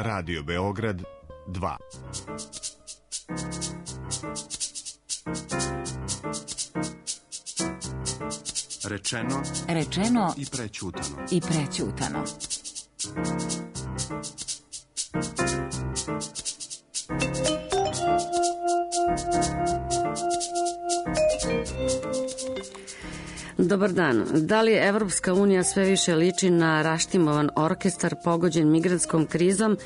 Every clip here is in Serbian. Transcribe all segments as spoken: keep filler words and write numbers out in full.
Radio Beograd dva. Rečeno, Rečeno i prećutano. I prećutano. Dobar dan. Da li Evropska unija sve više liči na raštimovan orkestar pogođen migrantskom krizom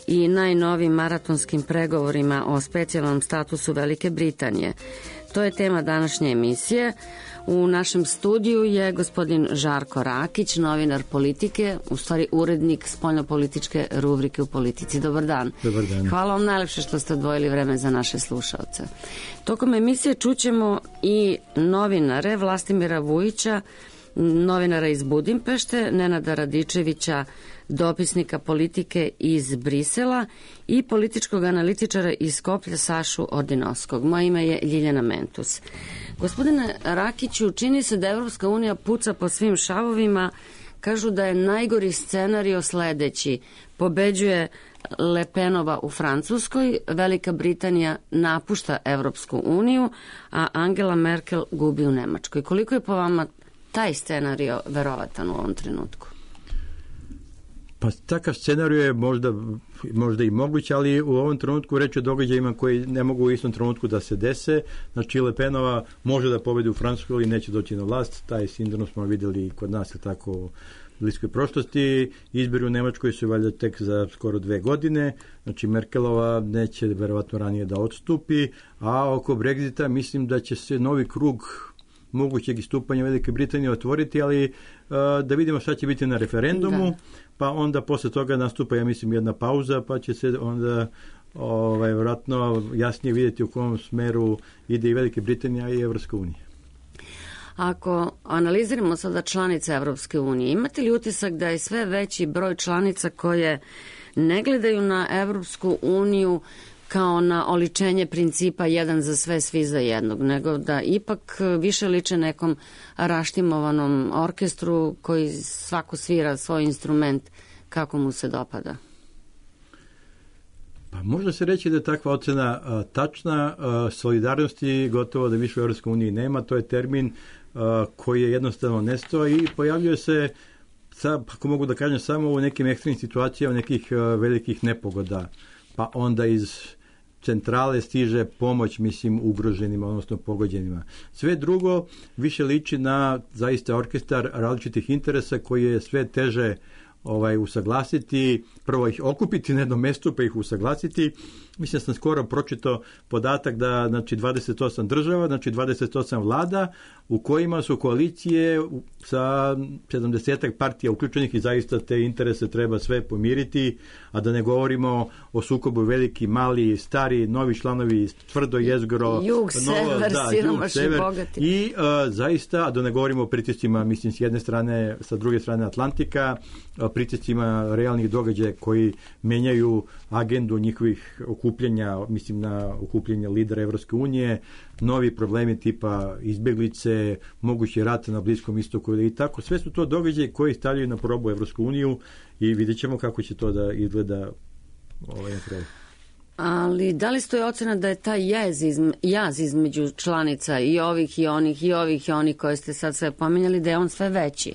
i najnovim maratonskim pregovorima o specijalnom statusu Velike Britanije? To je tema današnje emisije. U našem studiju je gospodin Žarko Rakić, novinar politike, u stvari urednik spoljnopolitičke rubrike u Politici. Dobar dan. Dobar dan. Hvala vam najlepše što ste odvojili vreme za naše slušaoce. Tokom emisije čućemo i novinare Vlastimira Vujića, novinara iz Budimpešte, Nenada Radičevića, dopisnika politike iz Brisela i političkog analitičara iz Skoplja Sašu Ordinovskog. Moje ime je Ljiljana Mentus. Gospodine Rakiću, čini se da Evropska unija puca po svim šavovima. Kažu da je najgori scenario sledeći. Pobeđuje Le Penova u Francuskoj, Velika Britanija napušta Evropsku uniju, a Angela Merkel gubi u Nemačkoj. Koliko je po vama taj scenario verovatan u ovom trenutku? Pa takav scenario je možda, možda i moguć, ali u ovom trenutku reč o događajima koji ne mogu u istom trenutku da se dese. Znači Le Penova može da pobedi u Francuskoj, ali neće doći na vlast. Taj sindrom smo videli kod nas, je tako, u bliskoj prošlosti. Izbori u Nemačkoj su valjda tek za skoro dve godine. Znači Merkelova neće verovatno ranije da odstupi, a oko Brexita mislim da će se novi krug mogućeg istupanja Velike Britanije otvoriti, ali uh, da vidimo šta će biti na referendumu, da. Pa onda posle toga nastupa, ja mislim, jedna pauza, pa će se onda ovaj, vjerojatno jasnije vidjeti u kom smeru ide i Velike Britanija i Evropska unija. Ako analiziramo sada članice Evropske unije, imate li utisak da je sve veći broj članica koje ne gledaju na Evropsku uniju kao na oličenje principa jedan za sve, svi za jednog, nego da ipak više liče nekom raštimovanom orkestru koji svako svira svoj instrument kako mu se dopada? Pa može se reći da je takva ocena a, tačna. A, solidarnosti gotovo da više u Evropskoj uniji nema. To je termin a, koji je jednostavno nestao i pojavljuje se, sa, ako mogu da kažem, samo u nekim ekstremnim situacijama nekih a, velikih nepogoda. Pa onda iz centrale stiže pomoć, mislim, ugroženima, odnosno pogođenima. Sve drugo više liči na zaista orkestar različitih interesa koji je sve teže ovaj, usaglasiti, prvo ih okupiti na jednom mestu, pa ih usaglasiti. Mislim da sam skoro pročitao podatak da, znači, dvadeset osam država, znači dvadeset osam vlada, u kojima su koalicije sa sedamdesetak partija uključenih i zaista te interese treba sve pomiriti, a da ne govorimo o sukobu veliki, mali, stari, novi članovi, tvrdo jezgro, jug, sever, da, siromašni, bogati. I uh, zaista, a da ne govorimo o pritiscima, mislim, s jedne strane, sa druge strane Atlantika, pritiscima realnih događaja koji menjaju agendu njihovih okupljanja, mislim na okupljanje lidera Evropske unije, novi problemi tipa izbjeglice, mogući rat na Bliskom istoku i tako. Sve su to događaje koji stavljaju na probu Evropsku uniju i vidjet ćemo kako će to da izgleda ovaj napravljeno. Ali da li stoji ocena da je taj jaz, izme, jaz između članica i ovih i onih i ovih i onih koje ste sad sve pominjali, da je on sve veći?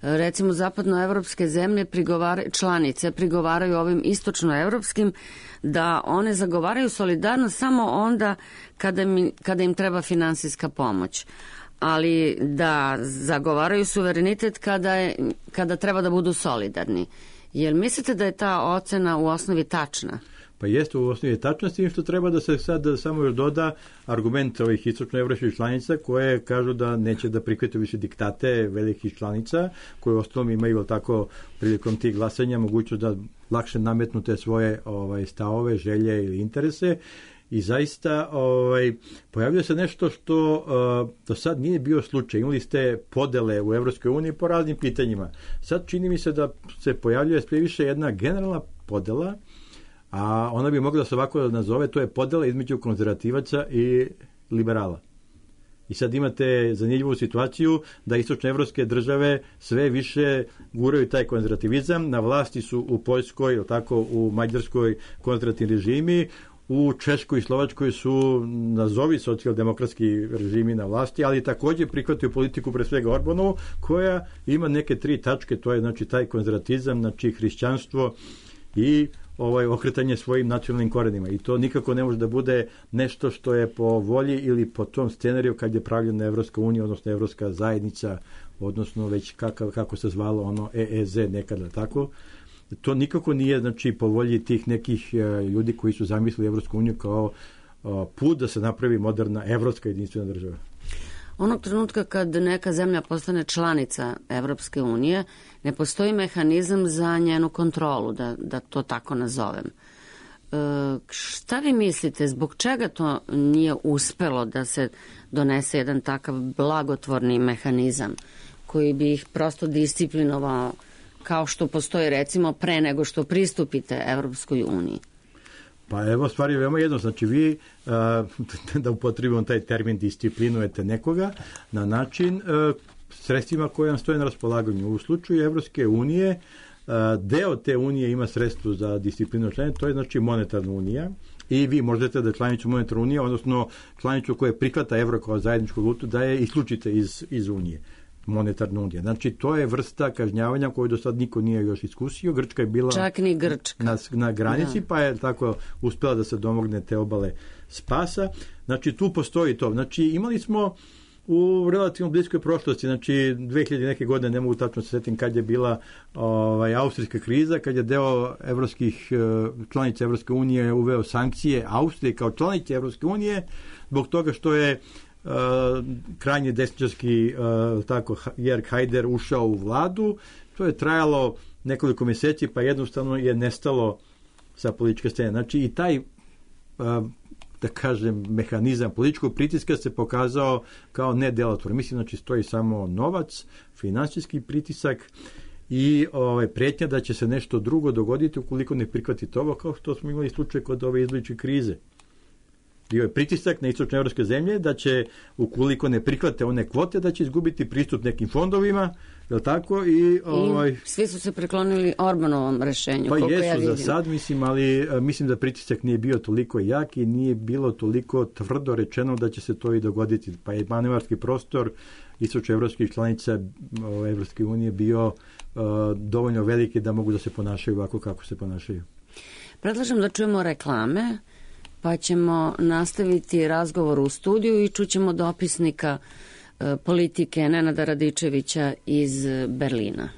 Recimo zapadnoevropske zemlje prigovara, članice prigovaraju ovim istočnoevropskim da one zagovaraju solidarnost samo onda kada, mi, kada im treba finansijska pomoć, ali da zagovaraju suverenitet kada, je, kada treba da budu solidarni. Jel mislite da je ta ocena u osnovi tačna? Pa jeste u osnovi tačnosti, što treba da se sad samo još doda argument ovih istočnoevropskih članica koje kažu da neće da prihvate više diktate velikih članica, koje u osnovi imaju tako prilikom tih glasanja mogućnost da lakše nametnu te svoje ovaj, stavove, želje ili interese. I zaista ovaj, pojavljuje se nešto što uh, do sad nije bio slučaj. Imali ste podele u Evropskoj uniji po raznim pitanjima. Sad čini mi se da se pojavljuje sve više jedna generalna podela, a ona bi mogla da se ovako nazove, to je podela između konzervativaca i liberala. I sad imate zanimljivu situaciju da istočnoevropske države sve više guraju taj konzervativizam. Na vlasti su u Poljskoj, tako u Mađarskoj konzervativni režimi, u Češkoj i Slovačkoj su nazovi socijaldemokratski režimi na vlasti, ali također prihvataju politiku pre svega Orbanovu, koja ima neke tri tačke, to je znači taj konzervatizam, znači hrišćanstvo i ovaj okretanje svojim nacionalnim korenima. I to nikako ne može da bude nešto što je po volji ili po tom scenariju kad je pravljena Evropska unija, odnosno Evropska zajednica, odnosno već kako, kako se zvalo ono E E Z nekada, tako. To nikako nije znači po volji tih nekih uh, ljudi koji su zamislili Evropsku uniju kao uh, put da se napravi moderna evropska jedinstvena država. Onog trenutka kad neka zemlja postane članica Evropske unije, ne postoji mehanizam za njenu kontrolu, da, da to tako nazovem. E, šta vi mislite, zbog čega to nije uspelo da se donese jedan takav blagotvorni mehanizam koji bi ih prosto disciplinovao kao što postoji recimo pre nego što pristupite Evropskoj uniji? Pa evo, stvar je veoma jedno. Znači vi, a, da upotrebimo taj termin, disciplinujete nekoga na način a, sredstvima koje vam stoje na raspolaganju. U slučaju Evropske unije, a, deo te unije ima sredstvo za disciplinu članice, to je znači monetarna unija. I vi možete da članicu monetarne unije, odnosno članicu koja prihvata evro kao zajedničku valutu, da je isključite iz, iz unije. Monetarna unija. Znači, to je vrsta kažnjavanja koju do sad niko nije još iskusio. Grčka je bila čak ni Grčka. Na, na granici, da. Pa je tako uspela da se domogne te obale spasa. Znači, tu postoji to. Znači, imali smo u relativno bliskoj prošlosti, znači dve hiljade neke godine, ne mogu tačno se setim kad je bila ovaj, austrijska kriza, kad je deo evropskih članica Evropske unije uveo sankcije Austrije kao članice Evropske unije zbog toga što je Uh, krajnje desničarski uh, tako Jörg Haider ušao u vladu. To je trajalo nekoliko mjeseci, pa jednostavno je nestalo sa političke scene. Znači i taj uh, da kažem mehanizam političkog pritiska se pokazao kao nedelotvoran. Mislim, znači stoji samo novac, finansijski pritisak i ovaj, pretnja da će se nešto drugo dogoditi ukoliko ne prihvatite ovo, kao što smo imali slučaj kod ove izbličke krize. Bio je pritisak na istočnoevropske zemlje da će, ukoliko ne prihvate one kvote, da će izgubiti pristup nekim fondovima, je li tako? I, ovaj, I svi su se preklonili Orbanovom rešenju. Pa jesu ja za sad, mislim, ali mislim da pritisak nije bio toliko jak i nije bilo toliko tvrdo rečeno da će se to i dogoditi. Pa je manevarski prostor istočnoevropskih članica Evropske unije bio uh, dovoljno veliki da mogu da se ponašaju ovako kako se ponašaju. Predlažem da čujemo reklame, pa ćemo nastaviti razgovor u studiju i čućemo dopisnika e, politike Nenada Radičevića iz Berlina.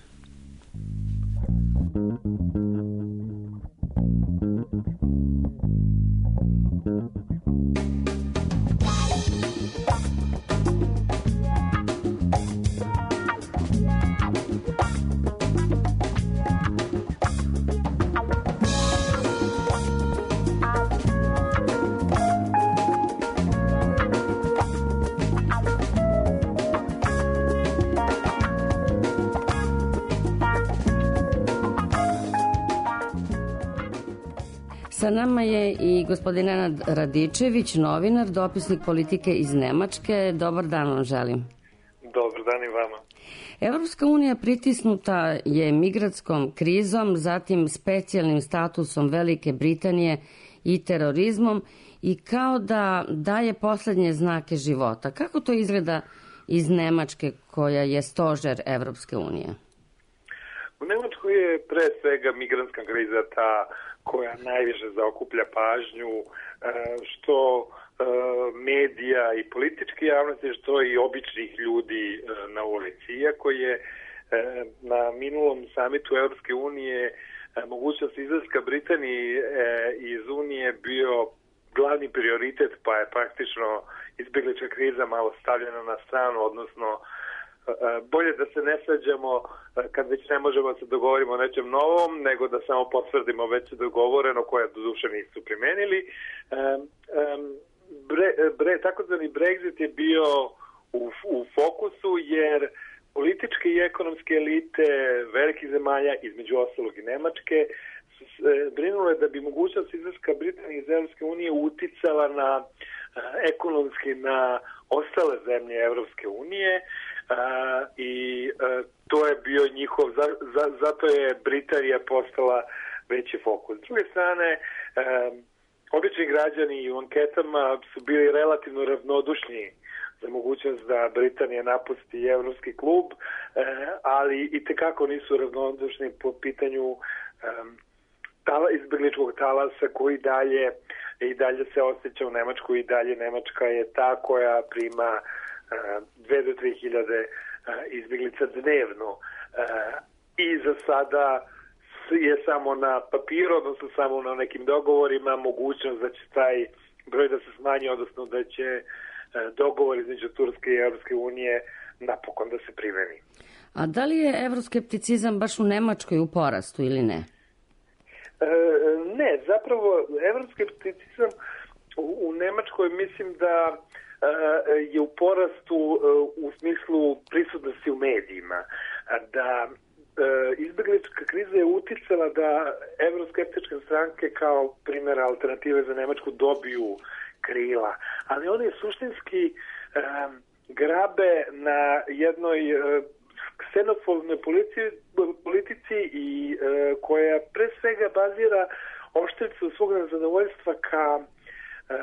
Sa nama je i gospodin Nenad Radičević, novinar, dopisnik politike iz Nemačke. Dobar dan vam želim. Dobar dan i vama. Evropska unija pritisnuta je migratskom krizom, zatim specijalnim statusom Velike Britanije i terorizmom i kao da daje poslednje znake života. Kako to izgleda iz Nemačke koja je stožer Evropske unije? U Nemačkoj je pre svega migrantska kriza ta koja najviše zaokuplja pažnju, što medija i političke javnosti, što i običnih ljudi na ulici. Iako je na minulom samitu Evropske unije mogućnost izlaska Britanije iz Unije bio glavni prioritet, pa je praktično izbjeglička kriza malo stavljena na stranu, odnosno bolje da se ne svađamo kad već ne možemo se dogovorimo o nečem novom, nego da samo potvrdimo već dogovoreno koje doduše nisu primenili. Bre, bre, takozvani Brexit je bio u, u fokusu jer političke i ekonomske elite velikih zemalja, između ostalog i Nemačke, su brinule da bi mogućnost izlaska Britanije iz Evropske unije uticala na ekonomski na ostale zemlje Evropske unije i to je bio njihov, zato je Britanija postala veći fokus. S druge strane, obični građani u anketama su bili relativno ravnodušni za mogućnost da Britanija napusti Evropski klub, ali i tekako nisu ravnodušni po pitanju tala, izbegličkog talasa koji dalje i dalje se osjeća u Nemačkoj i dalje Nemačka je ta koja prima dve do tri hiljade izbeglica dnevno. I za sada je samo na papiru, odnosno samo na nekim dogovorima mogućnost da će taj broj da se smanji, odnosno da će dogovor između Turske i Evropske unije napokon da se primeni. A da li je evroskepticizam baš u Nemačkoj u porastu ili ne? E, ne, zapravo evroskepticizam u, u Nemačkoj mislim da e, je u porastu e, u smislu prisutnosti u medijima. Da e, izbeglička kriza je uticala da evroskeptičke stranke kao primjer alternative za Nemačku dobiju krila, ali oni suštinski e, grabe na jednoj e, ksenofobnoj politici, politici i e, koja pre svega bazira oštricu svog nezadovoljstva ka, e,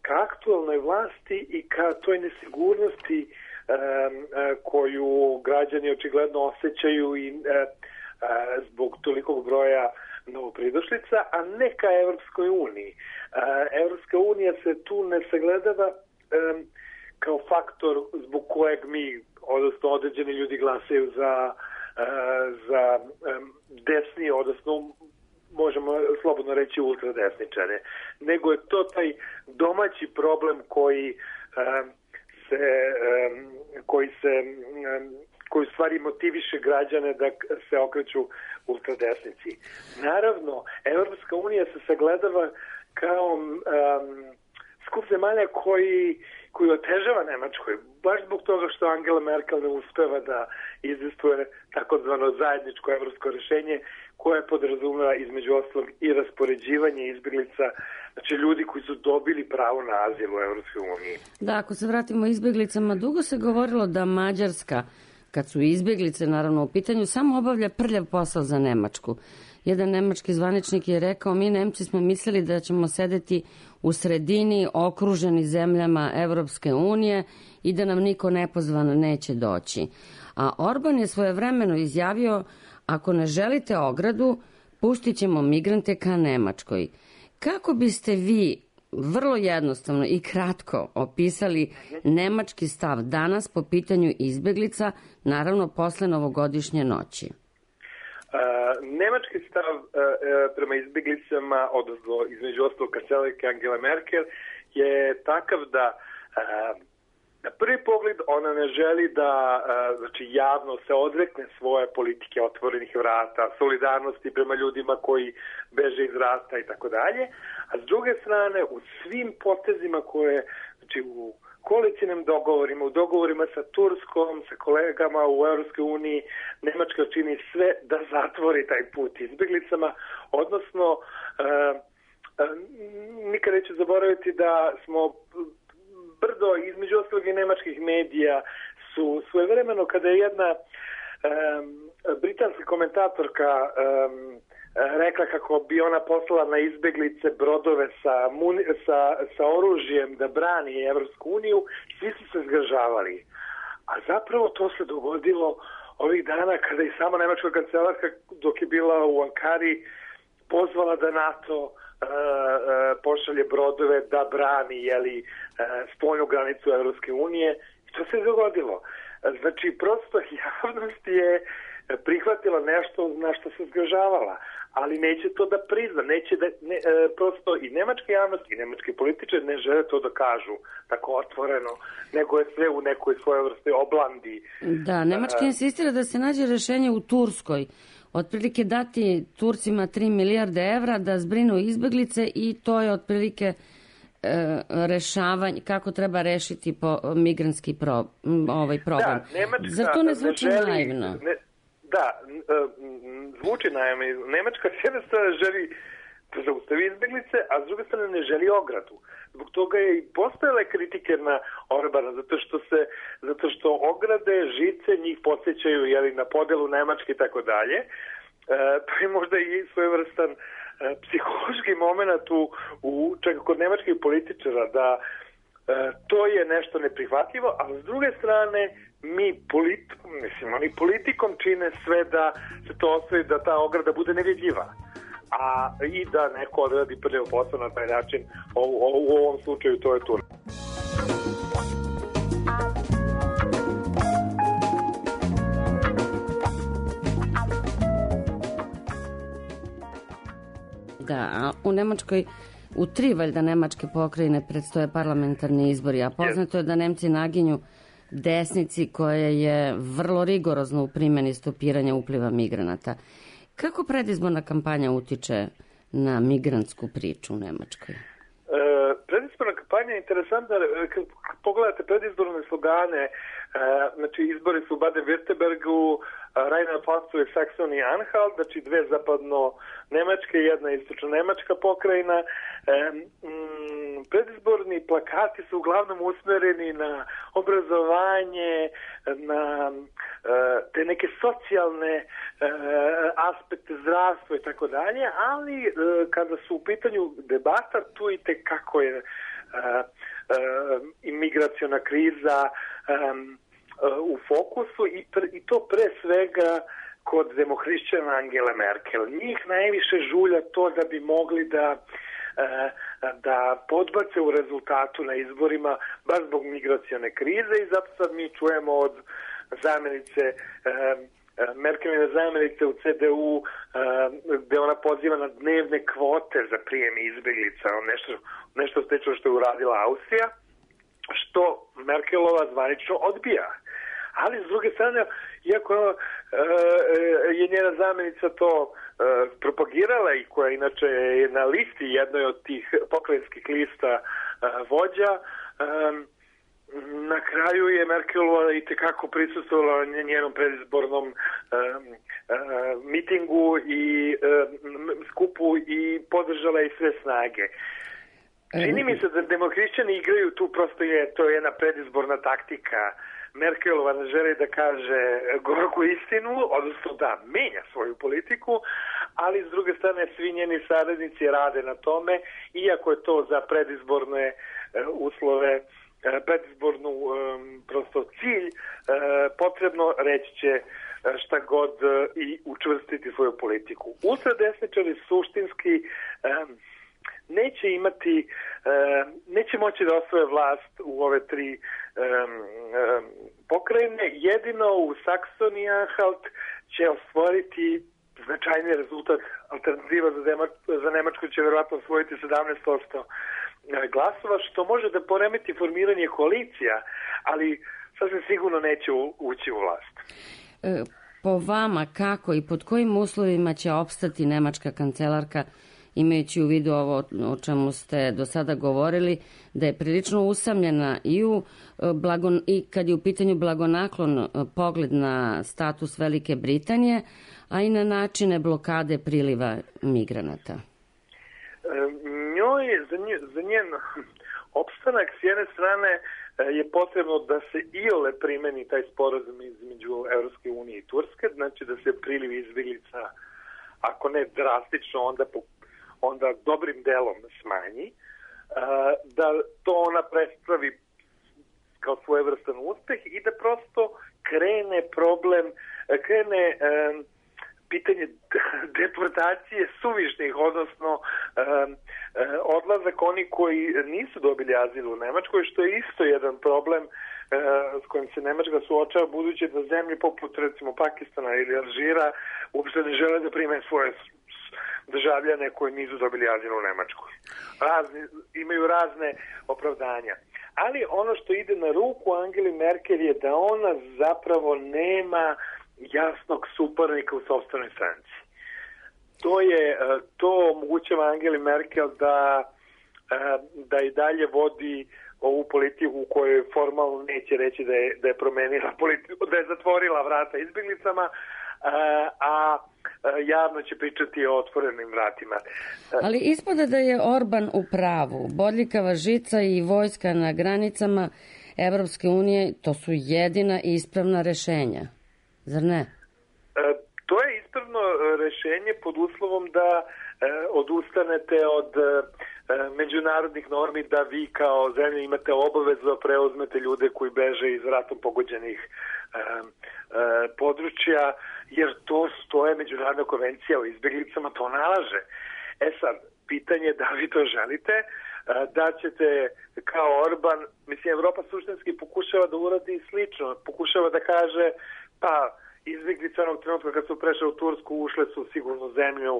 ka aktualnoj vlasti i ka toj nesigurnosti e, e, koju građani očigledno osjećaju i e, e, zbog tolikog broja novopridošlica, a ne ka Evropskoj uniji. E, Evropska unija se tu ne sagledava e, kao faktor zbog kojeg mi, odnosno određeni ljudi glasaju za, za desni, odnosno možemo slobodno reći ultradesničare, nego je to taj domaći problem koji se, koji se koji u stvari motiviše građane da se okreću ultradesnici. Naravno, Evropska unija se sagledava kao um, skup zemalja koji koji otežava Nemačkoj, baš zbog toga što Angela Merkel ne uspeva da izvestuje takozvano zajedničko evropsko rešenje koje podrazumeva između ostalog i raspoređivanje izbeglica, znači ljudi koji su dobili pravo na azil u Evropskoj uniji. Da, ako se vratimo izbeglicama, dugo se govorilo da Mađarska, kad su izbeglice naravno u pitanju, samo obavlja prljav posao za Nemačku. Jedan nemački zvaničnik je rekao, mi Nemci smo mislili da ćemo sedeti u sredini okruženi zemljama Evropske unije i da nam niko nepozvan neće doći. A Orban je svojevremeno izjavio, ako ne želite ogradu, pustit ćemo migrante ka Nemačkoj. Kako biste vi vrlo jednostavno i kratko opisali nemački stav danas po pitanju izbeglica, naravno posle novogodišnje noći? Uh, nemački stav uh, prema izbjeglicama, odnosno između ostalog kancelarke Angela Merkel, je takav da uh, na prvi pogled ona ne želi da uh, znači javno se odrekne svoje politike otvorenih vrata, solidarnosti prema ljudima koji beže iz rata i tako dalje, a s druge strane u svim potezima koje, znači u koalicijnim dogovorima, u dogovorima sa Turskom, sa kolegama u Evropskoj uniji, Nemačka čini sve da zatvori taj put izbjeglicama, odnosno e, e, nikad neću zaboraviti da smo brdo između ostalog i nemačkih medija su svojevremeno kada je jedna e, britanska komentatorka e, rekla kako bi ona poslala na izbeglice brodove sa, muni, sa, sa oružjem da brani Evropsku uniju, svi su se zgražavali. A zapravo to se dogodilo ovih dana kada i sama nemačka kancelarka dok je bila u Ankari pozvala da NATO uh, uh, pošalje brodove da brani jeli, uh, spoljnu granicu Evropske unije. I to se dogodilo. Znači, prosto javnost je prihvatila nešto na što se zgražavala, ali neće to da prizna, neće da, ne, e, prosto i nemačka javnost i nemački političari ne žele to da kažu tako otvoreno, nego je sve u nekoj svojoj vrsti oblandi. Da, Nemačka insistira da se nađe rešenje u Turskoj, otprilike dati Turcima tri milijarde evra da zbrinu izbeglice i to je otprilike e, rešavanje, kako treba rešiti po, migrantski pro, ovaj problem. Da, Nemačka Zar to ne zvuči ne želi, naivno? Ne, da, zvuči naime, Nemačka s jedne strane želi da zaustavi izbeglice, a s druge strane ne želi ogradu. Zbog toga je i postojale kritike na Orbana, zato što se, zato što ograde, žice njih podsjećaju jeli, na podelu Nemačke i tako dalje. Pa je možda i svojevrstan e, psihološki moment u, u čak kod nemačkih političara da e, to je nešto neprihvatljivo, a s druge strane mi politikom, mislim, oni politikom čine sve da se to ostavi, da ta ograda bude nevidljiva. A i da neko odradi prvi posao na taj način, u, u, u ovom slučaju to je to. Da, a u Nemačkoj, u tri valjda nemačke pokrajine predstoje parlamentarni izbori, a poznato je da Nemci naginju desnici koja je vrlo rigorozno u primjeni stopiranja upliva migranata. Kako predizborna kampanja utiče na migrantsku priču u Nemačkoj? E, predizborna kampanja je interesantna. Kad pogledate predizborne slogane, e, znači izbori su u Baden-Württembergu, Rheinland-Pfalzu i Saksoniji-Anhalt, znači dve zapadno Nemačke i jedna istočno Nemačka pokrajina. E, m, predizborni plakati su uglavnom usmereni na obrazovanje, na e, te neke socijalne e, aspekte, zdravstva i tako dalje, ali e, kada su u pitanju debata, tu i tekako je e, e, imigraciona kriza e, u fokusu i, pre, i to pre svega kod demohrišćana Angele Merkel. Njih najviše žulja to da bi mogli da da podbace u rezultatu na izborima baš zbog migracione krize i zato sad mi čujemo od zamjenice Merkeline zamjenice u C D U gde ona poziva na dnevne kvote za prijem izbjeglica, nešto, nešto slično što je uradila Austrija, što Merkelova zvanično odbija. Ali s druge strane, iako e, je njena zamjenica to e, propagirala i koja inače je na listi jednoj od tih pokrajinskih lista e, vođa, e, na kraju je Merkelova i tekako prisustvovala njenom predizbornom e, e, mitingu i e, skupu i podržala i sve snage. Čini mi se da demohrišćani igraju tu, prosto je to je jedna predizborna taktika. Merkelova ne želi da kaže gorku istinu, odnosno da menja svoju politiku, ali s druge strane svi njeni saradnici rade na tome, iako je to za predizborne e, uslove, e, predizbornu e, prosto cilj, e, potrebno reći će šta god e, i učvrstiti svoju politiku. Ultradesničari suštinski e, neće imati, uh, neće moći da osvoje vlast u ove tri um, um, pokrajine. Jedino u Saksoniji Anhalt će osvojiti značajni rezultat. Alternativa za, Dema- za Nemačku će verovatno osvojiti sedamnaest posto glasova, što može da poremeti formiranje koalicija, ali sasvim sigurno neće u, ući u vlast. E, po vama, kako i pod kojim uslovima će opstati nemačka kancelarka, imajući u vidu ovo o čemu ste do sada govorili, da je prilično usamljena i, u blagon, i kad je u pitanju blagonaklon pogled na status Velike Britanije, a i na načine blokade priliva migranata? E, njoj, za, nje, za njen opstanak s jedne strane je potrebno da se iole primeni taj sporazum između Evropske unije i Turske, znači da se priliv izbjeglica, ako ne drastično, onda po onda dobrim delom smanji, da to ona predstavi kao svojevrstan uspeh i da prosto krene problem, krene pitanje deportacije suvišnih, odnosno odlazak oni koji nisu dobili azil u Nemačkoj, što je isto jedan problem s kojim se Nemačka suočava, budući da zemlje poput recimo Pakistana ili Alžira uopšte ne žele da prime svoje državljane koji nisu dobili azil u Nemačkoj. Razni, imaju razne opravdanja. Ali ono što ide na ruku Angeli Merkel je da ona zapravo nema jasnog suparnika u sopstvenoj stranci. To je, to omogućava Angeli Merkel da, da i dalje vodi ovu politiku u kojoj formalno neće reći da je, da je promenila politiku, da je zatvorila vrata izbjeglicama, a javno će pričati o otvorenim vratima. Ali ispada da je Orban u pravu. Bodljikava žica i vojska na granicama Evropske unije, to su jedina ispravna rešenja. Zar ne? To je ispravno rešenje pod uslovom da odustanete od međunarodnih normi, da vi kao zemlja imate obavezu da preuzmete ljude koji beže iz ratom pogođenih područja, jer to stoje međunarodna konvencija o izbjeglicama, to nalaže. E sad, pitanje je da li to želite, da ćete kao Orban, mislim, Evropa suštinski pokušava da uradi slično, pokušava da kaže, pa izbjeglice onog trenutka kad su prešle u Tursku, ušle su u sigurnu zemlju,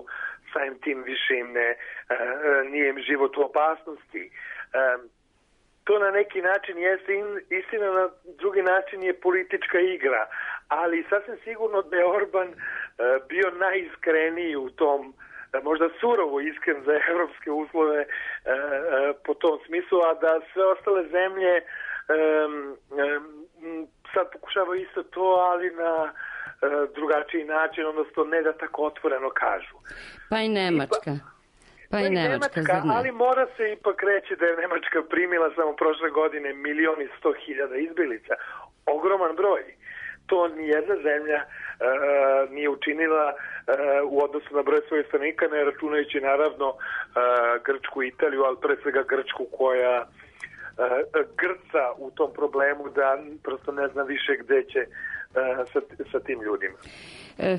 samim tim više im ne, nije im život u opasnosti. To na neki način jeste istina, na drugi način je politička igra, ali sasvim sigurno da je Orban bio najiskreniji u tom, možda surovo iskren za evropske uslove po tom smislu, a da sve ostale zemlje sad pokušavaju isto to, ali na drugačiji način, odnosno ne da tako otvoreno kažu. Pa i Nemačka. Pa i Nemačka, zar ne? Ali mora se ipak reći da je Nemačka primila samo prošle godine milion i sto hiljada izbjeglica. Ogroman broj. To nijedna zemlja uh, nije učinila uh, u odnosu na broj svojih stanovnika, ne računajući naravno uh, Grčku i Italiju, ali pre svega Grčku koja uh, grca u tom problemu da prosto ne zna više gde će uh, sa, sa tim ljudima.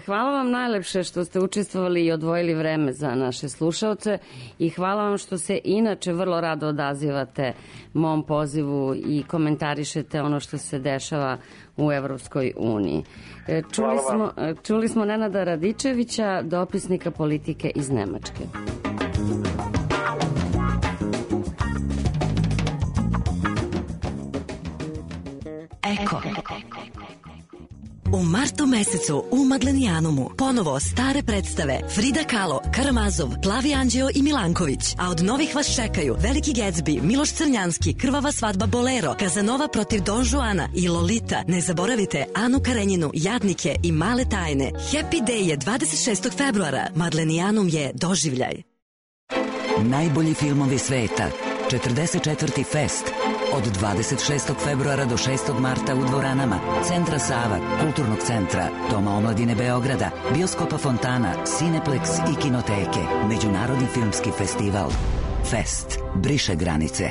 Hvala vam najlepše što ste učestvovali i odvojili vreme za naše slušaoce i hvala vam što se inače vrlo rado odazivate mom pozivu i komentarišete ono što se dešava u Evropskoj uniji. Čuli smo, čuli smo Nenada Radičevića, dopisnika politike iz Nemačke. Eko. U martu mesecu u Maglenijanumu ponovo stare predstave Frida Kahlo, Karamazov, Plavi Anđeo i Milanković. A od novih vas čekaju Veliki Gatsby, Miloš Crnjanski, Krvava svadba Bolero, Kazanova protiv Don Juana i Lolita. Ne zaboravite Anu Karenjinu, Jadnike i Male tajne. Happy Day je dvadeset šestog februara. Maglenijanum je doživljaj. Najbolji filmovi sveta. četrdeset četvrti Fest. Od dvadeset šestog februara do šestog marta u dvoranama Centra Sava, Kulturnog centra, Doma omladine Beograda, Bioskopa Fontana, Cineplex i Kinoteke. Međunarodni filmski festival. Fest. Briše granice.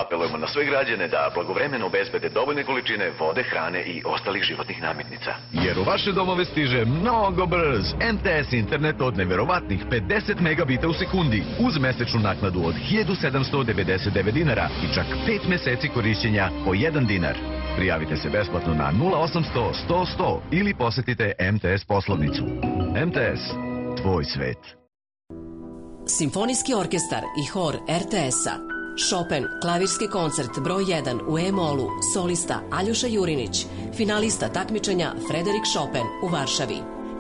Apelujemo na sve građane da blagovremeno obezbede dovoljne količine vode, hrane i ostalih životnih namirnica. Jer u vaše domove stiže mnogo brz M T S internet od neverovatnih pedeset megabita u sekundi uz mesečnu naknadu od hiljadu sedamsto devedeset devet dinara i čak pet meseci korišćenja po jedan dinar. Prijavite se besplatno na nula osamsto sto sto ili posetite M T S poslovnicu. M T S. Tvoj svet. Simfonijski orkestar i hor R T S-a. Chopin, klavirski koncert broj jedan u E-molu, solista Aljoša Jurinić, finalista takmičenja Frederik Chopin u Varšavi.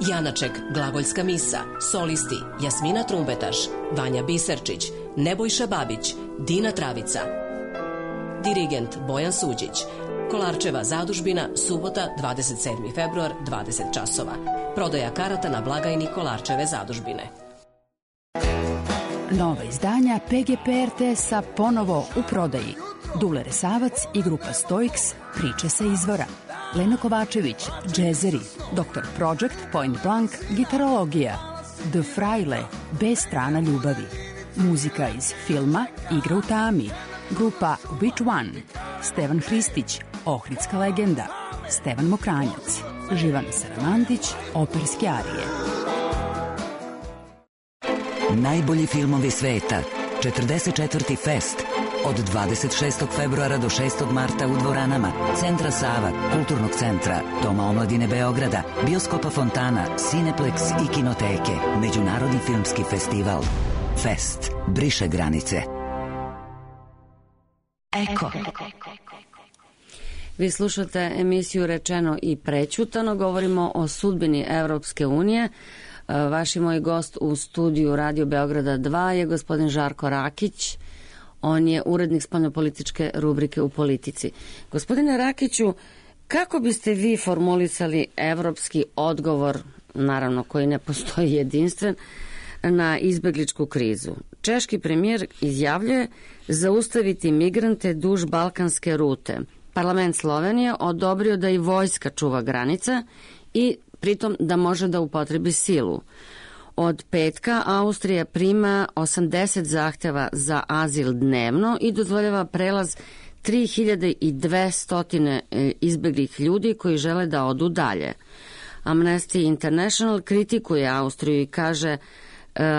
Janaček, glagoljska misa, solisti Jasmina Trumbetaš, Vanja Biserčić, Nebojša Babić, Dina Travica. Dirigent Bojan Suđić. Kolarčeva zadužbina, subota, dvadeset sedmi februar, dvadeset časova. Prodaja karata na blagajni Kolarčeve zadužbine. Nova izdanja P G P R T S-a ponovo u prodaji. Dule Resavac i grupa Stoiks, priče sa izvora. Lena Kovačević, džezeri. doktor Project, Point Blank, gitarologija. The Fraile, B strana ljubavi. Muzika iz filma Igra u tami. Grupa Which One. Stevan Hristić, Ohridska legenda. Stevan Mokranjac. Živana Saramandić, operske arije. Najbolji filmovi sveta. četrdeset četvrti Fest. Od dvadeset šestog februara do šestog marta u dvoranama Centra Sava, Kulturnog centra, Doma omladine Beograda, Bioskopa Fontana, Cineplex i Kinoteke. Međunarodni filmski festival. Fest. Briše granice. Eko. Vi slušate emisiju Rečeno i prećutano. Govorimo o sudbini Evropske unije. Vaš i moj gost u studiju Radio Beograda dva je gospodin Žarko Rakić. On je urednik spoljnopolitičke rubrike u Politici. Gospodine Rakiću, Kako biste vi formulisali evropski odgovor, naravno koji ne postoji jedinstven, na izbegličku krizu? Češki premijer izjavljuje zaustaviti migrante duž balkanske rute. Parlament Slovenije odobrio da i vojska čuva granica i pritom da može da upotrebi silu. Od petka Austrija prima osamdeset zahteva za azil dnevno i dozvoljava prelaz tri hiljade dvesta izbeglih ljudi koji žele da odu dalje. Amnesty International kritikuje Austriju i kaže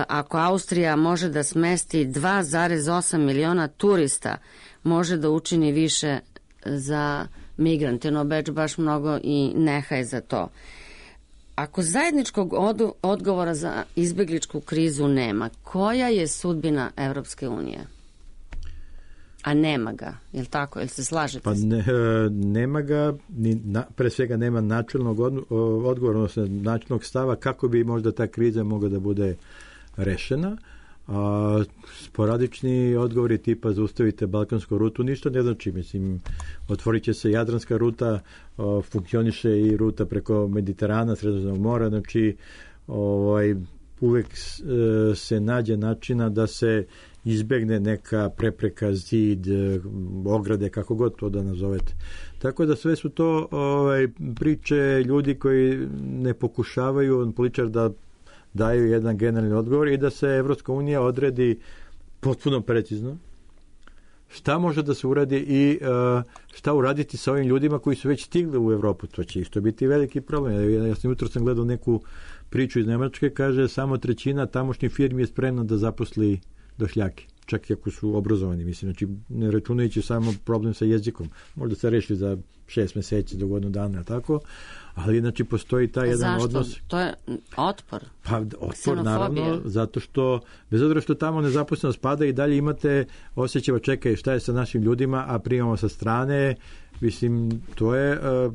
ako Austrija može da smesti dva zarez osam miliona turista, može da učini više za migrante, no Beč baš mnogo i nehaje za to. Ako zajedničkog od, odgovora za izbegličku krizu nema, koja je sudbina Evropske unije? A nema ga, je li tako? Jel se slažete? Pa ne, nema ga, ni na, pre svega nema načelnog od, odgovora, odnosno načelnog stava kako bi možda ta kriza mogla da bude rešena. A sporadični odgovori tipa zaustavite balkansku rutu ništa ne znači, mislim, otvorit će se Jadranska ruta, o, funkcioniše i ruta preko Mediterana, Sredozemnog mora, znači ovaj, uvek e, se nađe načina da se izbegne neka prepreka, zid, ograde, kako god to da nazovete. Tako da sve su to ovaj, priče ljudi koji ne pokušavaju političar da daju jedan generalni odgovor i da se Evropska unija odredi potpuno precizno šta može da se uradi i uh, šta uraditi sa ovim ljudima koji su već stigli u Evropu. To će isto biti veliki problem. Ja, ja sam jutro sam gledao neku priču iz Nemačke, kaže samo trećina tamošnjih firmi je spremna da zaposli došljake, čak i ako su obrazovani. Mislim, znači, ne računajući samo problem sa jezikom. Možda se reši za šest meseci do godinu dana, tako? Ali, znači, postoji taj jedan Zašto? odnos. Zašto? To je otpor. Pa, otpor, naravno, zato što, bez obzira što tamo nezaposlenost pada i dalje imate osjećava, čekaj, šta je sa našim ljudima, a primamo sa strane, mislim, to je uh,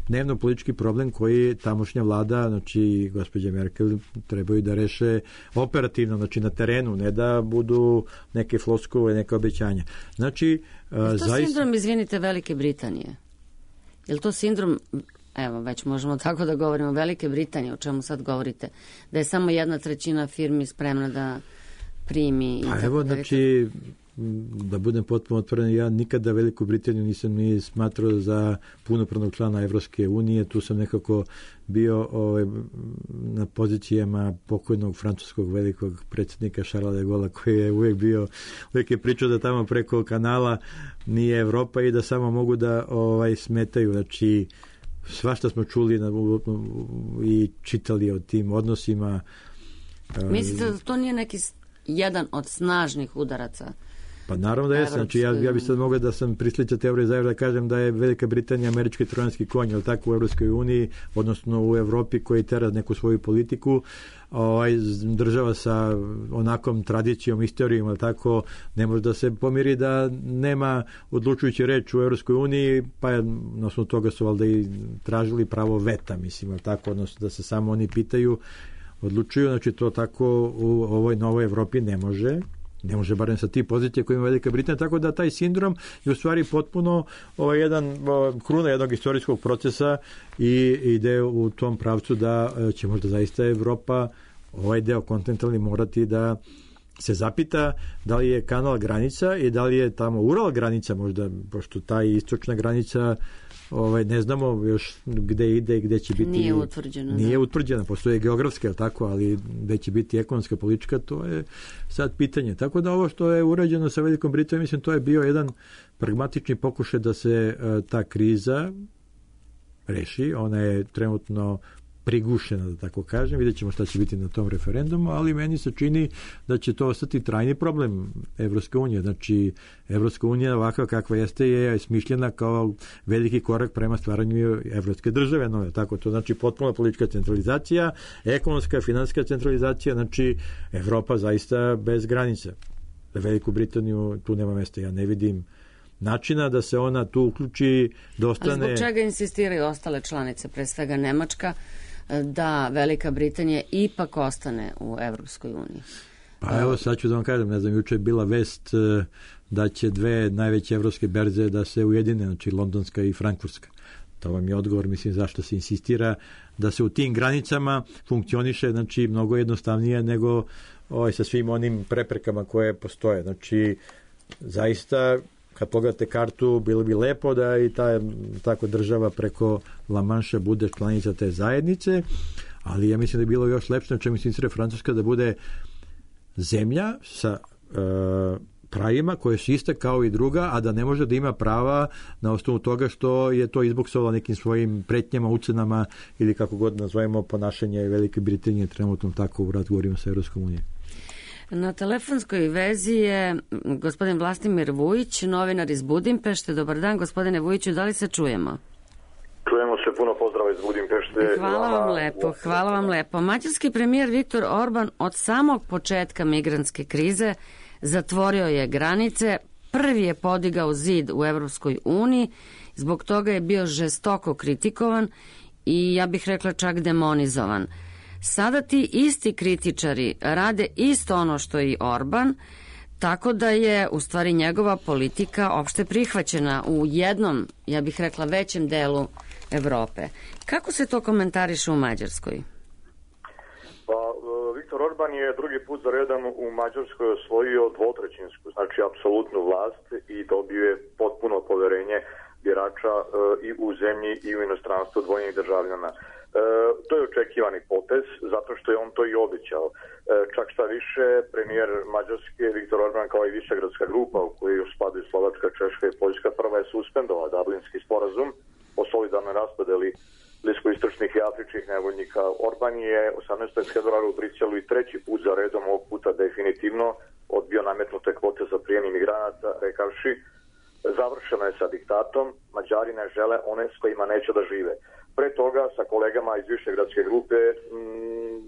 dnevno politički problem koji tamošnja vlada, znači gospođa Merkel, trebaju da reše operativno, znači na terenu, ne da budu neke floskule, neke obećanja. Znači, uh, je to zaista... sindrom, izvinite, Velike Britanije? Je li to sindrom, evo, već možemo tako da govorimo, Velike Britanije, o čemu sad govorite, da je samo jedna trećina firmi spremna da primi... I a tako evo, da znači, da budem potpuno otvoren, ja nikada Veliku Britaniju nisam ni smatrao za punopravnog člana Evropske unije, tu sam nekako bio ovaj, na pozicijama pokojnog francuskog velikog predsjednika Charlesa de Gaulle, koji je uvijek bio, uvijek je pričao da tamo preko kanala nije Evropa i da samo mogu da ovaj, smetaju, znači svašta smo čuli na, i čitali o tim odnosima. Mislite da to nije neki jedan od snažnih udaraca? Pa naravno da jesam, znači ja, ja bih sad mogao da sam prisličao teorije zajedno da kažem da je Velika Britanija američki trojanski konj, ali tako u Evropskoj uniji, odnosno u Evropi koji tera neku svoju politiku, ovaj, država sa onakom tradicijom, istorijom, ali tako ne može da se pomiri da nema odlučujući reč u Evropskoj uniji, pa je, na osnovu toga su valjda i tražili pravo veta, mislim, ali tako, odnosno da se samo oni pitaju, odlučuju, znači to tako u ovoj novoj Evropi ne može. Ne može barem sa ti pozicije koje ima Velika Britanija, tako da taj sindrom je u stvari potpuno ovaj, jedan kruna jednog istorijskog procesa i ide u tom pravcu da će možda zaista Evropa ovaj deo kontinentalni morati da se zapita da li je kanal granica i da li je tamo Ural granica možda, pošto ta istočna granica ovaj, ne znamo još gde ide i gde će biti. Nije utvrđena. Nije utvrđena, postoje geografska, ali tako, ali gde će biti ekonomska, politička, to je sad pitanje. Tako da ovo što je urađeno sa Velikom Britanijom, mislim, to je bio jedan pragmatični pokušaj da se uh, ta kriza reši. Ona je trenutno prigušena, da tako kažem, vidjet ćemo šta će biti na tom referendumu, ali meni se čini da će to ostati trajni problem Evropske unije. Znači, Evropska unija ovakva kakva jeste je smišljena kao veliki korak prema stvaranju evropske države. No, tako, to znači potpuno politička centralizacija, ekonomska, finansijska centralizacija, znači Evropa zaista bez granica. Za Veliku Britaniju tu nema mesta, ja ne vidim načina da se ona tu uključi, da ostane... A zbog čega insistiraju ostale članice, pre svega Nemačka, da Velika Britanija ipak ostane u Evropskoj uniji? Pa evo, sad ću da vam kažem, ne znam, juče je bila vest da će dve najveće evropske berze da se ujedine, znači londonska i frankfurtska. To vam je odgovor, mislim, zašto se insistira da se u tim granicama funkcioniše, znači, mnogo jednostavnije nego ovaj, sa svim onim preprekama koje postoje. Znači, zaista, kad pogledate kartu, bilo bi lepo da i ta tako država preko La Manša bude članica te zajednice, ali ja mislim da je bilo još lepše, na čemu se insistira Francuska, da bude zemlja sa e, pravima koje su iste kao i druga, a da ne može da ima prava na osnovu toga što je to izboksovalo nekim svojim pretnjama, ucenama ili kako god nazovemo ponašanje Velike Britanije trenutno tako u razgovorima sa Evropskom unijom. Na telefonskoj vezi je gospodin Vlastimir Vujić, novinar iz Budimpešte. Dobar dan, gospodine Vujiću, da li se čujemo? Čujemo se, puno pozdrava iz Budimpešte. Hvala vam lepo, hvala vam lepo. Mađarski premijer Viktor Orban od samog početka migrantske krize zatvorio je granice, prvi je podigao zid u Evropskoj uniji, zbog toga je bio žestoko kritikovan i ja bih rekla čak demonizovan. Sada ti isti kritičari rade isto ono što i Orban, tako da je u stvari njegova politika opšte prihvaćena u jednom, ja bih rekla, većem delu Evrope. Kako se to komentariše u Mađarskoj? Pa, Viktor Orban je drugi put za redom u Mađarskoj osvojio dvotrećinsku, znači apsolutnu vlast i dobio je potpuno poverenje birača e, i u zemlji i u inostranstvu dvojnih državljana. E, to je očekivani potez, zato što je on to i obećao. E, čak šta više, premijer Mađarske Viktor Orban kao i Višegradska grupa u kojoj još spadaju Slovačka, Češka i Poljska prva je suspendovao Dublinski sporazum o solidarnoj raspodeli bliskoistočnih i afričkih nevoljnika. Orban je osamnaestog februara u Briselu i treći put za redom, ovog puta definitivno odbio nametnute kvote za prijem imigranata, rekavši završeno je sa diktatom, Mađari ne žele one s kojima neće da žive. Pre toga sa kolegama iz Višegradske grupe m,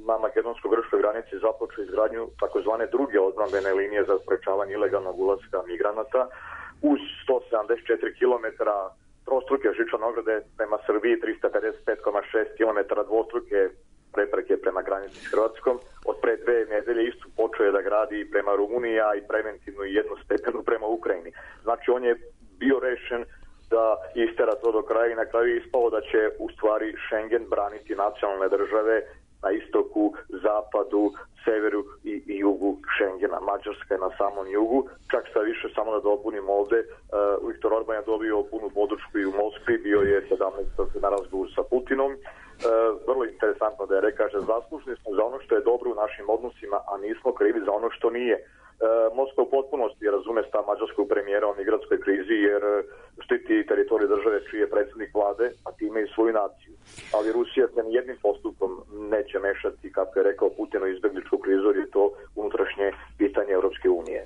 na makedonsko-grčkoj granici započeo izgradnju takozvane druge odbrambene linije za sprečavanje ilegalnog ulaska migranata uz sto sedamdeset četiri kilometra trostruke žičane ograde prema Srbiji, trista pedeset pet zarez šest kilometara dvostruke prepreke prema granici s Hrvatskom. Od pre dve nedelje istu počeo je da gradi prema Rumuniji, a i preventivno i jednu stepenu prema Ukrajini. Znači on je bio rešen da istera to do kraja i na kraju je ispalo da će u stvari Schengen braniti nacionalne države na istoku, zapadu, severu i, i jugu Schengena. Mađarska je na samom jugu. Čak šta više, samo da dopunim ovde, uh, Viktor Orban je dobio punu podršku i u Moskvi, bio je sedamnaestog na razgovoru sa Putinom. Uh, vrlo interesantno da je rekao, že zaslužni smo za ono što je dobro u našim odnosima, a nismo krivi za ono što nije. Uh, Moskva u potpunosti razume stav mađarskog premijera o migrantskoj krizi jer štiti teritoriju države čiji je predsjednik vlade, a time i svoju naciju. Ali Rusija se nijednim postupkom neće mešati, kako je rekao Putin, u izbegličku krizu, jer je to unutrašnje pitanje Evropske unije.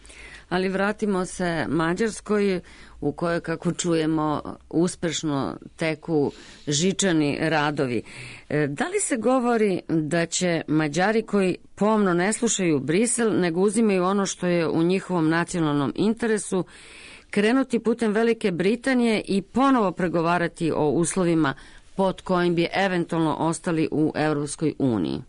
Ali vratimo se Mađarskoj, u kojoj, kako čujemo, uspešno teku žičani radovi. Da li se govori da će Mađari koji pomno ne slušaju Brisel, nego uzimaju ono što je u njihovom nacionalnom interesu, krenuti putem Velike Britanije i ponovo pregovarati o uslovima pod kojim bi eventualno ostali u Evropskoj uniji?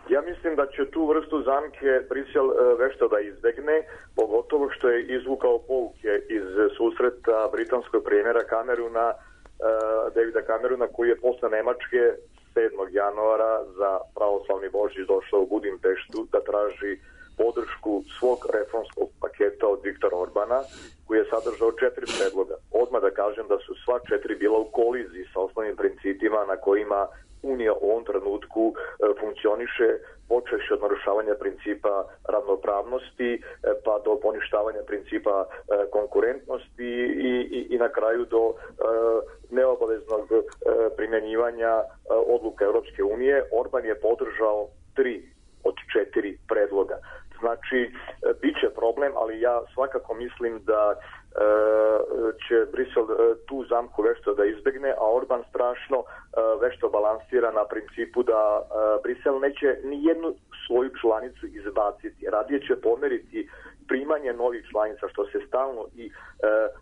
Ja mislim da će tu vrstu zamke Brisel vešto da izbegne, pogotovo što je izvukao pouke iz susreta britanskog premijera Cameruna, Davida Cameruna, koji je posle Nemačke sedmog januara za pravoslavni Božić došao u Budimpeštu da traži podršku svog reformskog paketa od Viktora Orbana, koji je sadržao četiri predloga. Odmah da kažem da su sva četiri bila u koliziji sa osnovnim principima na kojima Unija u ovom trenutku e, funkcioniše, počeši od narušavanja principa ravnopravnosti, e, pa do poništavanja principa e, konkurentnosti i, i, i na kraju do e, neobaveznog e, primjenjivanja e, odluka Europske unije. Orban je podržao tri od četiri predloga. Znači, e, bit će problem, ali ja svakako mislim da e, će Brisel e, tu zamku vešto da izbegne, a Orban strašno e, vešto balansira na principu da e, Brisel neće ni jednu svoju članicu izbaciti. Radije će pomeriti primanje novih članica, što se stalno i e,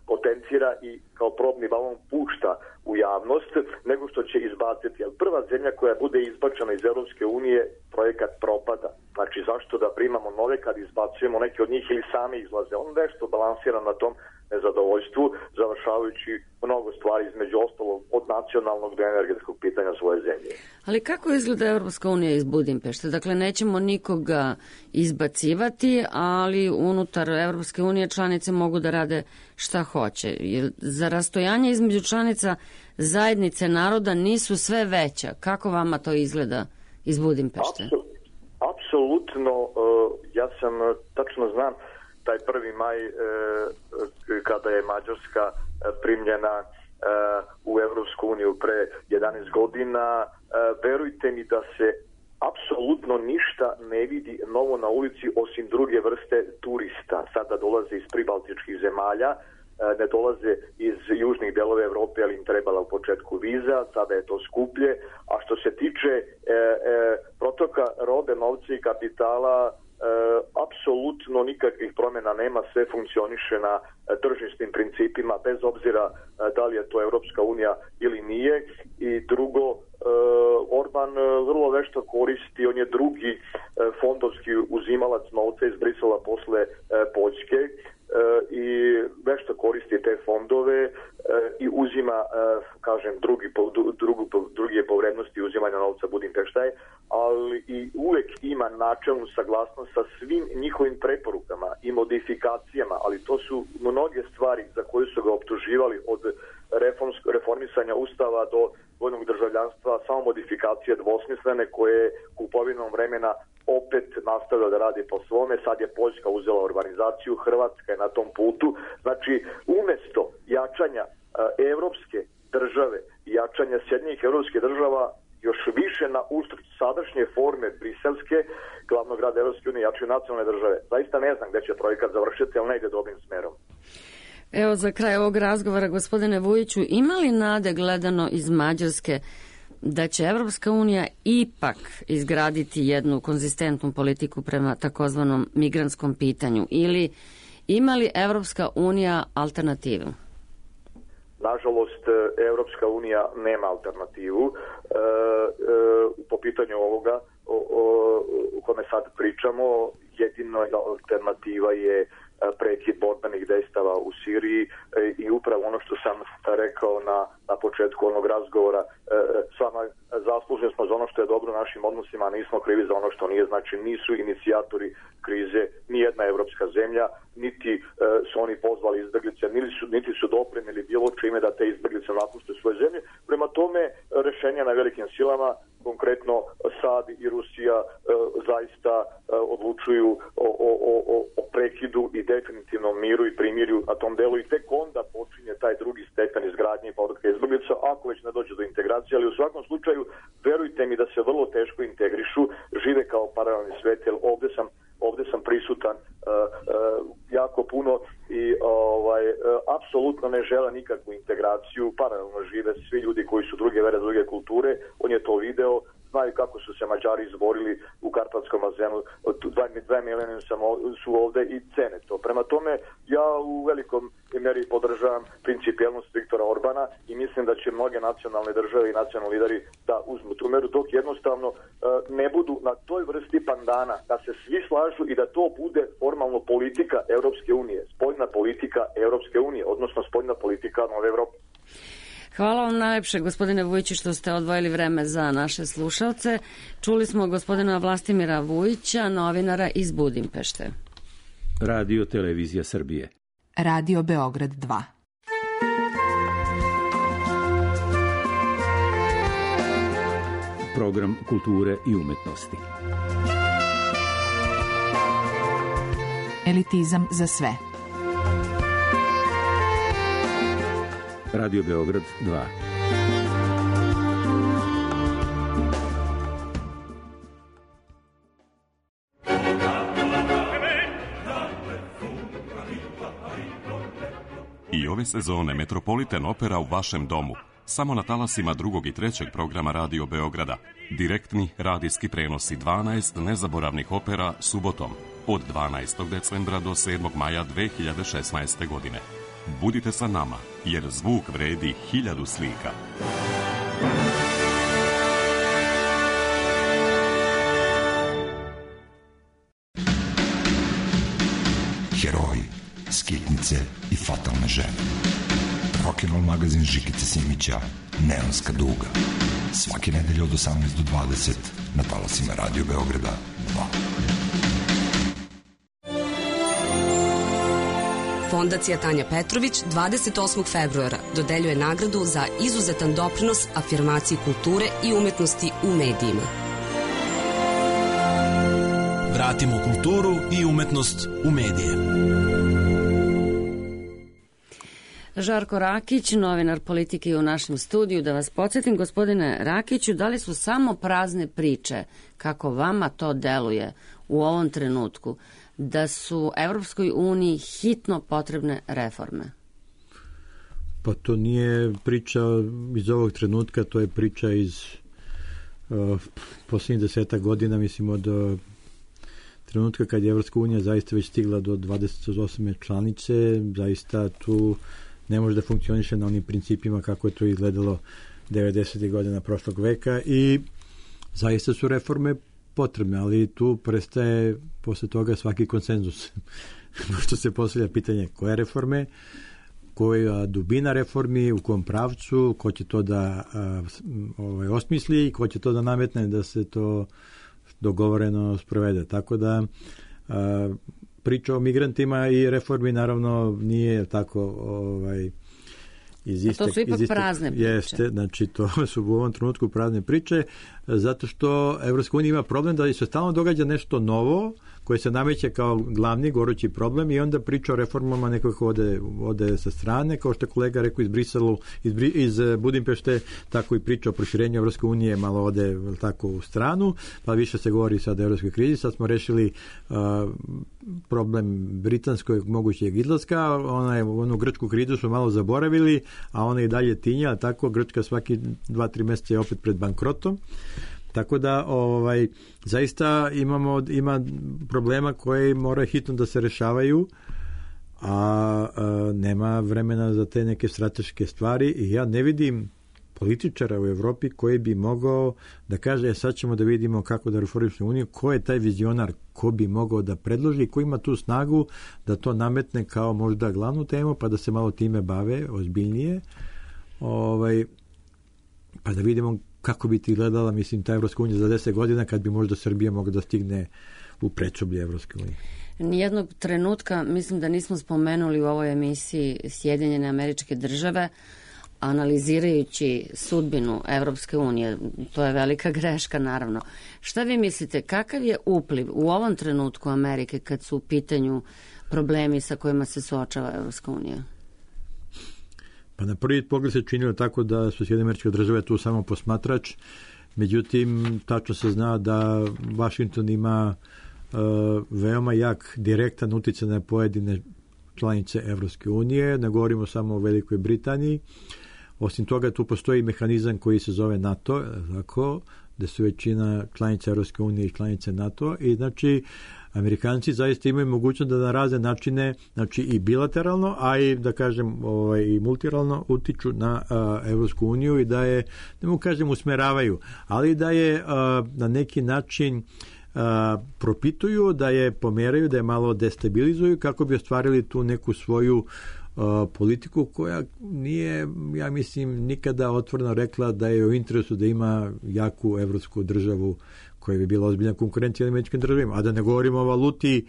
potencira i kao probni balon pušta u javnost, nego što će izbaciti. Jer prva zemlja koja bude izbačena iz Europske unije, projekat propada. Znači, zašto da primamo nove kad izbacujemo neke od njih ili sami izlaze? On nešto balansira na tom nezadovoljstvu, završavajući mnogo stvari između ostalog od nacionalnog do energetskog pitanja svoje zemlje. Ali kako izgleda Evropska unija iz Budimpešte? Dakle, nećemo nikoga izbacivati, ali unutar Evropske unije članice mogu da rade šta hoće. Jer za rastojanje između članica zajednice naroda nisu sve veća. Kako vama to izgleda iz Budimpešte? Apsolutno, ja sam, tačno znam, taj prvi maj kada je Mađarska primljena u Evropsku uniju pre jedanaest godina, verujte mi da se apsolutno ništa ne vidi novo na ulici osim druge vrste turista. Sada dolaze iz pribaltičkih zemalja, ne dolaze iz južnih delova Evrope, ali im trebala u početku viza, sada je to skuplje. A što se tiče e, e, protoka robe, novca i kapitala, E, apsolutno nikakvih promjena nema, sve funkcioniše na e, tržišnim principima, bez obzira e, da li je to Evropska unija ili nije. I drugo, e, Orban e, vrlo vešto koristi, on je drugi e, fondovski uzimalac novca iz Brisela posle e, Poljske e, i vešto koristi te fondove e, i uzima, e, kažem, drugi po, drugu, drugi po vrednosti uzimanja novca Budimpešta, ali i uvek ima načelnu saglasnost sa svim njihovim preporukama i modifikacijama, ali to su mnoge stvari za koje su ga optuživali od reformisanja ustava do vojnog državljanstva, samo modifikacije dvosmislene koje kupovinom vremena opet nastavlja da radi po svome. Sad je Poljska uzela urbanizaciju, Hrvatska je na tom putu. Znači, umesto jačanja evropske države i jačanja Sjedinjenih evropskih država, još više na uštrb sadašnje forme briselske, glavnog grada Evropske unije, jačaju nacionalne države. Zaista ne znam gde će projekat završiti, ali ne ide dobrim smerom. Evo, za kraj ovog razgovora, gospodine Vujiću, ima li nade gledano iz Mađarske da će Evropska unija ipak izgraditi jednu konzistentnu politiku prema takozvanom migrantskom pitanju, ili ima li Evropska unija alternativu? Nažalost, Evropska unija nema alternativu. E, e, po pitanju ovoga o, o, o kome sad pričamo, jedina alternativa je prekid borbenih dejstava u Siriji i upravo ono što sam rekao na, na početku onog razgovora, s vama zasluženi smo za ono što je dobro u našim odnosima, a nismo krivi za ono što nije. Znači, nisu inicijatori krize ni jedna evropska zemlja, niti su oni pozvali izbeglice, niti su, niti su doprinili bilo čime da te izbeglice napušte svoje zemlje. Prema tome, rešenja na velikim silama, konkretno Sad i Rusija, e, zaista e, odlučuju o, o, o, o prekidu i definitivnom miru i primirju na tom delu, i tek onda počinje taj drugi stepen izgradnje i povratka izbeglica, ako već ne dođe do integracije. Ali u svakom slučaju, verujte mi da se vrlo teško integrišu, žive kao paralelni svet, jer ovde sam ovde sam prisutan uh, uh, jako puno i ovaj, uh, apsolutno ne žele nikakvu integraciju, paralelno žive svi ljudi koji su druge vere, druge kulture. On je to video, znaju kako su se Mađari izborili u Karpatskom bazenu, dva, dva milijuna su ovde i cene to. Prema tome, ja u velikom meri podržavam principijelnost Viktora Orbana i mislim da će mnoge nacionalne države i nacionalni lideri da uzmu tu meru, dok jednostavno uh, ne budu na toj vrsti pandana, da se svi slažu i da to bude formalno politika Evropske unije, spoljna politika Evropske unije, odnosno spoljna politika Nove Evrope. Hvala vam najlepše, gospodine Vujiću, što ste odvojili vreme za naše slušalce. Čuli smo gospodina Vlastimira Vujića, novinara iz Budimpešte. Radio Televizija Srbije. Radio Beograd dva. Program kulture i umetnosti. Elitizam za sve. Radio Beograd dva. I ove sezone Metropolitan Opera u vašem domu. Samo na talasima drugog i trećeg programa Radio Beograda. Direktni radijski prenosi dvanaest nezaboravnih opera subotom od dvanaestog decembra do sedmog maja dve hiljade šesnaeste. godine. Budite sa nama, jer zvuk vredi hiljadu slika. Heroji, skitnice i fatalne žene. Rock'n'Roll magazin Žikice Simića, Neonska duga. Svake nedelje od osamnaest do dvadeset na talasima Radio Beograda dva. Fondacija Tanja Petrović dvadeset osmog februara dodeljuje nagradu za izuzetan doprinos afirmaciji kulture i umetnosti u medijima. Vratimo kulturu i umetnost u medije. Žarko Rakić, novinar politike u našem studiju. Da vas podsjetim, gospodine Rakiću, da li su samo prazne priče, kako vama to deluje u ovom trenutku, da su Evropskoj uniji hitno potrebne reforme? Pa to nije priča iz ovog trenutka, to je priča iz uh, posljednjih desetak godina, mislim od uh, trenutka kad je Evropska unija zaista već stigla do dvadeset osme članice, zaista tu ne može da funkcioniše na onim principima kako je to izgledalo devedesetih godina prošlog veka i zaista su reforme potrebne, ali tu prestaje posle toga svaki konsenzus. Pošto se postavlja pitanje koje reforme, koja dubina reformi, u kom pravcu, ko će to da a, ovaj, osmisli i ko će to da nametne da se to dogovoreno sprovede. Tako da a, priča o migrantima i reformi naravno nije tako ovaj, iz iste, to su ipak iz iste, prazne priče. Jeste, znači to su u ovom trenutku prazne priče, zato što Evropska unija ima problem da se stalno događa nešto novo koje se nameće kao glavni gorući problem i onda priča o reformama nekako ode, ode sa strane, kao što je kolega rekao iz Briselu, iz, iz Budimpešte, tako i priča o proširenju Evropske unije malo ode tako u stranu, pa više se govori sad o evropskoj krizi. Sad smo rešili uh, problem britanskog mogućeg izlaska, ona je, onu grčku krizu smo malo zaboravili, a ona i dalje tinja, tako Grčka svaki dva, tri meseca je opet pred bankrotom. Tako da ovaj zaista imamo ima problema koji moraju hitno da se rešavaju, a, a nema vremena za te neke strateške stvari i ja ne vidim političara u Evropi koji bi mogao da kaže e, sad ćemo da vidimo kako da reformišemo uniju, ko je taj vizionar, ko bi mogao da predloži, ko ima tu snagu da to nametne kao možda glavnu temu pa da se malo time bave ozbiljnije, ovaj, pa da vidimo kako bi ti gledala, mislim, ta Evropska unija za deset godina kad bi možda Srbija mogla da stigne u predsoblje Evropske unije. Nijednog trenutka, mislim da nismo spomenuli u ovoj emisiji Sjedinjene Američke Države, analizirajući sudbinu Evropske unije. To je velika greška, naravno. Šta vi mislite, kakav je upliv u ovom trenutku Amerike kad su u pitanju problemi sa kojima se suočava Evropska unija? Pa na prvi pogled se činilo tako da su Sjedinjene Američke Države tu samo posmatrač, međutim tačno se zna da Vašington ima uh, veoma jak direktan uticaj na pojedine članice Evropske unije, ne govorimo samo o Velikoj Britaniji. Osim toga tu postoji mehanizam koji se zove NATO, tako, gde su većina članica Evropske unije i članice NATO i znači Amerikanci zaista imaju mogućnost da na razne načine, znači i bilateralno, a i da kažem ovaj, i multilateralno utiču na uh, Evropsku uniju i da je, ne mogu kažem usmeravaju, ali da je uh, na neki način uh, propituju, da je pomeraju, da je malo destabilizuju kako bi ostvarili tu neku svoju uh, politiku koja nije, ja mislim, nikada otvoreno rekla da je u interesu da ima jaku evropsku državu koja bi bila ozbiljna konkurencija američkim državima, a da ne govorimo o valuti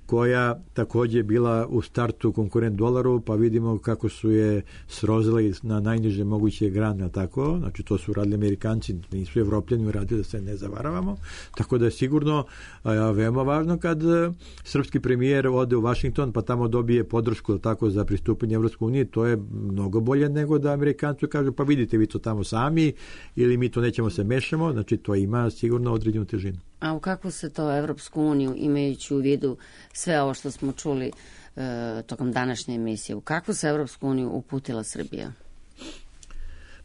koja takođe bila u startu konkurent dolaru, pa vidimo kako su je srozili na najniže moguće grane, tako, znači to su radili Amerikanci, nisu Evropljani uradili, da se ne zavaravamo, tako da je sigurno a, veoma važno kad srpski premijer ode u Vašington, pa tamo dobije podršku tako za pristupanje Evropskoj uniji, to je mnogo bolje nego da Amerikanci kažu, pa vidite vi to tamo sami, ili mi to nećemo se mešamo, znači to ima sigurno određenu težinu. A u kakvu se to Evropsku uniju, imajući u vidu sve ovo što smo čuli e, tokom današnje emisije, u kakvu se Evropsku uniju uputila Srbija?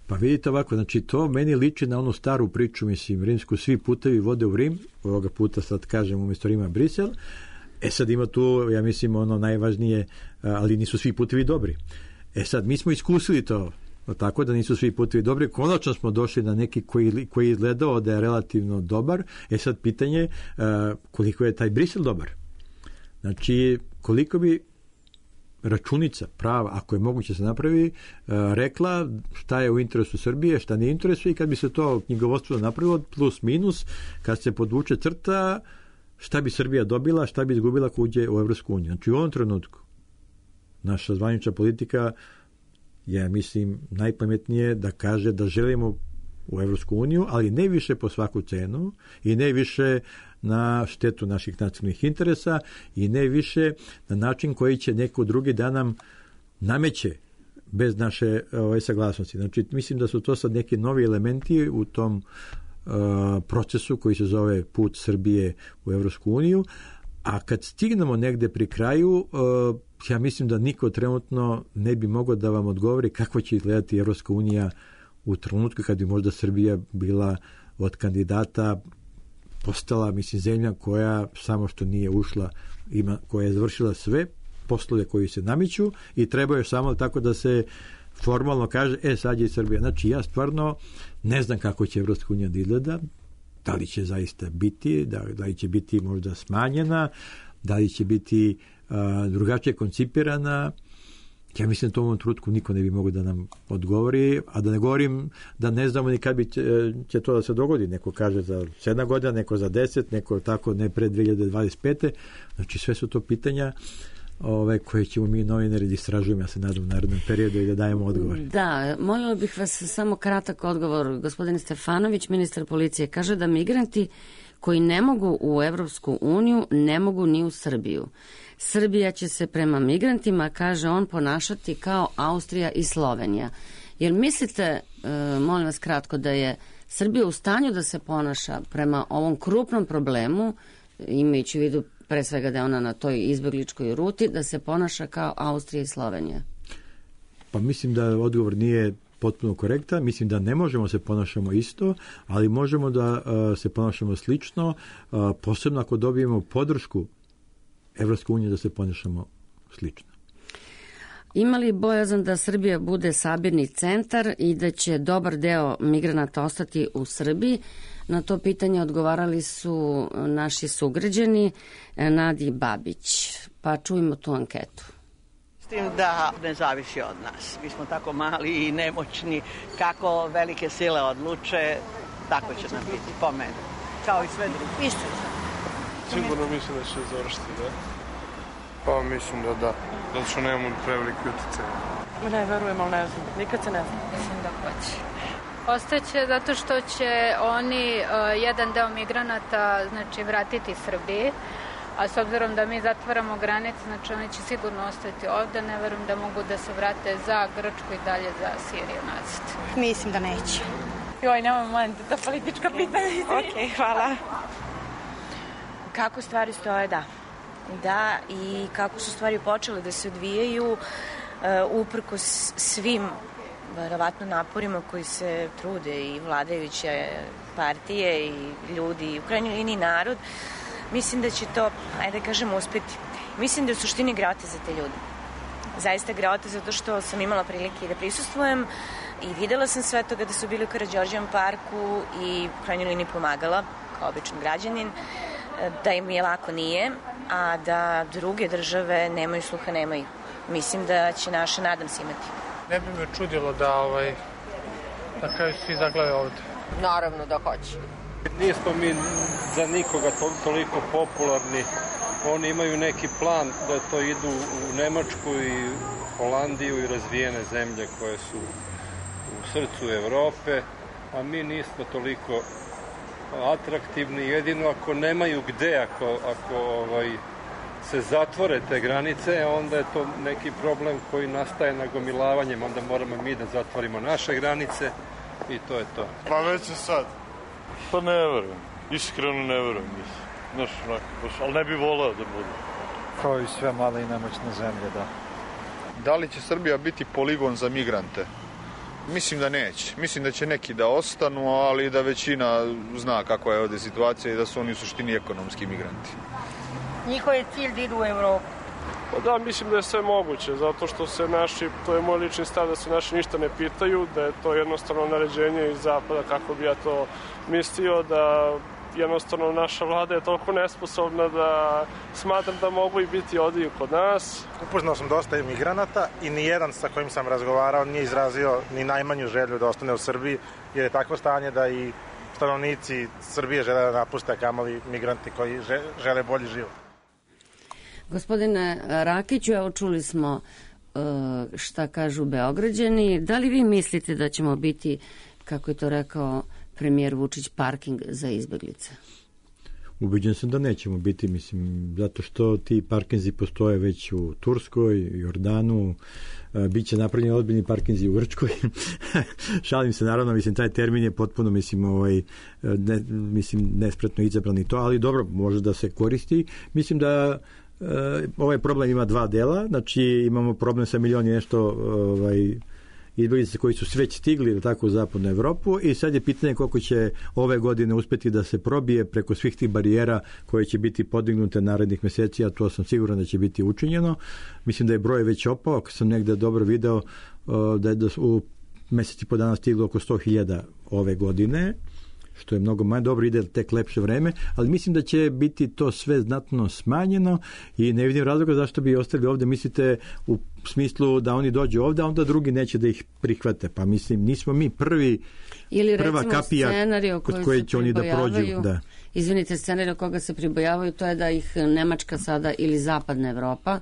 Pa vidite ovako, znači to meni liči na onu staru priču, mislim, rimsku, svi putevi vode u Rim, ovoga puta sad kažem umjesto Rima Brisel, e sad ima tu, ja mislim, ono najvažnije, ali nisu svi putevi dobri. E sad, mi smo iskusili to, tako da nisu svi putevi dobri. Konačno smo došli na neki koji, koji je izgledao da je relativno dobar. E sad pitanje uh, koliko je taj Brisel dobar. Znači koliko bi računica prava, ako je moguće se napravi, rekla šta je u interesu Srbije, šta nije interesu, i kad bi se to knjigovodstvo napravilo plus minus, kad se podvuče crta, šta bi Srbija dobila, šta bi izgubila ako uđe u Evropsku uniju. Znači u ovom trenutku naša zvanična politika je, mislim, najpametnije da kaže da želimo u Evropsku uniju, ali ne više po svaku cenu i ne više na štetu naših nacionalnih interesa i ne više na način koji će neko drugi da nam nameće bez naše ove, saglasnosti. Znači, mislim da su to sad neki novi elementi u tom uh, procesu koji se zove put Srbije u Evropsku uniju, a kad stignemo negde pri kraju, uh, ja mislim da niko trenutno ne bi mogao da vam odgovori kako će izgledati Evropska unija u trenutku kad bi možda Srbija bila od kandidata postala, mislim, zemlja koja samo što nije ušla, ima, koja je završila sve poslove koji se namiću i treba još samo tako da se formalno kaže, e, sad je Srbija. Znači, ja stvarno ne znam kako će Evropska unija da izgleda, da li će zaista biti, da, da li će biti možda smanjena, da li će biti uh, drugačije koncipirana. Ja mislim da to u ovom trenutku niko ne bi mogao da nam odgovori, a da ne govorim da ne znamo ni kad bi će, će to da se dogodi. Neko kaže za sedam godina, neko za deset, neko tako ne pre dve hiljade dvadeset pete. Znači sve su to pitanja ove, koje ćemo mi novinari da istražujemo, ja se nadam, u narednom periodu i da dajemo odgovor. Da, molila bih vas samo kratak odgovor. Gospodin Stefanović, ministar policije, kaže da migranti koji ne mogu u Evropsku uniju ne mogu ni u Srbiju. Srbija će se prema migrantima, kaže on, ponašati kao Austrija i Slovenija. Jer mislite, e, molim vas kratko, da je Srbija u stanju da se ponaša prema ovom krupnom problemu, imajući u vidu pre svega da je ona na toj izbegličkoj ruti, da se ponaša kao Austrija i Slovenija? Pa mislim da odgovor nije potpuno korektan. Mislim da ne možemo se ponašamo isto, ali možemo da uh, se ponašamo slično, uh, posebno ako dobijemo podršku Evropske unije da se ponašamo slično. Ima li bojazan da Srbija bude sabirni centar i da će dobar deo migranata ostati u Srbiji? Na to pitanje odgovarali su naši sugrađani Nadi Babić. Pa čujemo tu anketu. S tim da ne zavisi od nas. Mi smo tako mali i nemoćni. Kako velike sile odluče, tako će nam biti po meni. Kao i sve drugi. Isto je. Sigurno mislim da će završiti, da? Pa mislim da da. Zato što nemamo preveliki utjecaj. Ne verujem, ali ne znam. Nikad se ne znam. Mislim da hoće. Ostaće zato što će oni uh, jedan deo migranata znači, vratiti Srbiji, a s obzirom da mi zatvaramo granice, znači oni će sigurno ostati ovde. Ne verujem da mogu da se vrate za Grčku i dalje za Siriju nazad. Mislim da neće. Joj, nemoj moment, to politička pitanja. Ok, hvala. Kako stvari stoje, da. Da, i kako su stvari počele da se odvijaju, uh, uprkos svim verovatno naporima koji se trude i vladajuće partije i ljudi, u krajnjoj liniji narod, mislim da će to, ajde da kažem, uspeti. Mislim da je u suštini greota za te ljude. Zaista greota zato što sam imala prilike da prisustvujem i videla sam sve to kada su bili u Karađorđevom parku i u krajnjoj liniji pomagala kao običan građanin, da im je lako nije, a da druge države nemaju sluha, nemaju. Mislim da će naše, nadam se, imati. Ne bi me čudilo da, ovaj, da kraju svi zaglave ovde. Naravno da hoće. Nismo mi za nikoga to, toliko popularni. Oni imaju neki plan da to idu u Nemačku i Holandiju i razvijene zemlje koje su u srcu Evrope, a mi nismo toliko atraktivni, jedino ako nemaju gde, ako, ako ovaj, se zatvore te granice, onda je to neki problem koji nastaje nagomilavanjem, onda moramo mi da zatvorimo naše granice i to je to. Pa već je sad. Pa ne verujem, iskreno ne verujem, mislim. Znaš, ali ne bi voleo da bude. Kao i sve male i nemoćne zemlje, da. Da li će Srbija biti poligon za migrante? Mislim da neće. Mislim da će neki da ostanu, ali da većina zna kakva je ovde situacija i da su oni u suštini ekonomski migranti. Njihov je cilj da idu u Evropu. Pa da, mislim da je sve moguće, zato što se naši, to je moj lični stav, da se naši ništa ne pitaju, da je to jednostavno naređenje iz zapada, kako bi ja to mislio, da jednostavno naša vlada je toliko nesposobna da smatram da mogu i biti ovdje kod nas. Upoznao sam dosta imigranata i nijedan sa kojim sam razgovarao nije izrazio ni najmanju želju da ostane u Srbiji, jer je takvo stanje da i stanovnici Srbije žele da napuste, kamoli migranti koji žele bolji život. Gospodine Rakiću, evo čuli smo šta kažu Beograđani. Da li vi mislite da ćemo biti, kako je to rekao premijer Vučić, parking za izbeglice? Ubeđen sam da nećemo biti, mislim, zato što ti parkinzi postoje već u Turskoj, Jordanu, biće napravljeni ozbiljni parkinzi u Grčkoj. Šalim se, naravno, mislim, taj termin je potpuno, mislim, ovaj, ne, mislim, nespretno izabran i to, ali dobro, može da se koristi. Mislim da uh, ovaj problem ima dva dela, znači imamo problem sa milion i nešto ovaj, izbjeglica koji su već stigli tako u zapadnu Evropu i sad je pitanje koliko će ove godine uspeti da se probije preko svih tih barijera koje će biti podignute narednih meseci, a to sam siguran da će biti učinjeno. Mislim da je broj već opao, ako sam negde dobro video da je u meseci po dana stiglo oko sto hiljada ove godine, što je mnogo manje, dobro, ide tek lepše vreme, ali mislim da će biti to sve znatno smanjeno i ne vidim razloga zašto bi ostali ovde. Mislite u smislu da oni dođu ovde, a onda drugi neće da ih prihvate. Pa mislim, nismo mi prvi, ili prva kapija kod koje će oni da prođu. Da. Izvinite, scenarij koga se pribojavaju, to je da ih Nemačka sada ili zapadna Evropa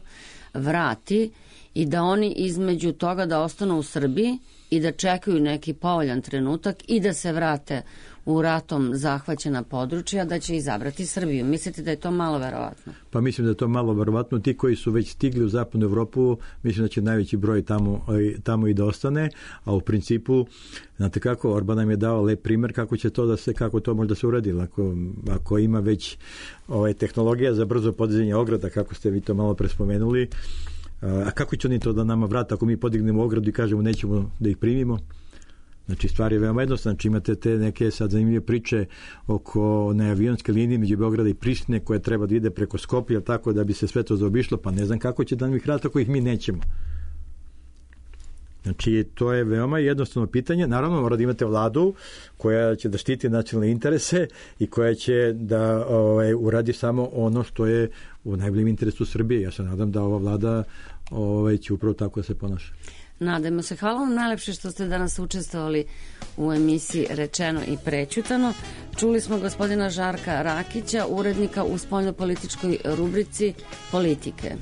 vrati i da oni između toga da ostanu u Srbiji i da čekaju neki povoljan trenutak i da se vrate u ratom zahvaćena područja, da će izabrati Srbiju. Mislite da je to malo verovatno? Pa mislim da je to malo verovatno. Ti koji su već stigli u zapadnu Evropu, mislim da će najveći broj tamo, tamo i da ostane, a u principu, znate kako, Orban nam je dao lep primer kako će to da se, kako to može da se uradi. Ako, ako ima već ovaj, tehnologija za brzo podizanje ograda, kako ste vi to malo prespomenuli, a kako će oni to da nama vrata ako mi podignemo ogradu i kažemo nećemo da ih primimo? Znači, stvar je veoma jednostavna. Znači, imate te neke sad zanimljive priče oko neavionske linije među Beograda i Prištine koja treba da ide preko Skoplja, tako da bi se sve to zaobišlo, pa ne znam kako će da nam ih vrata ako ih mi nećemo. Znači, to je veoma jednostavno pitanje. Naravno, mora da imate vladu koja će da štiti nacionalne interese i koja će da ovaj, uradi samo ono što je u najboljem interesu Srbije. Ja se nadam da ova vlada ovaj, će upravo tako da se ponaša. Nadajmo se. Hvala vam najlepše što ste danas učestvovali u emisiji Rečeno i prećutano. Čuli smo gospodina Žarka Rakića, urednika u spoljnopolitičkoj rubrici Politike.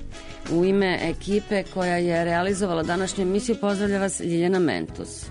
U ime ekipe koja je realizovala današnju emisiju pozdravlja vas Ljiljana Mentus.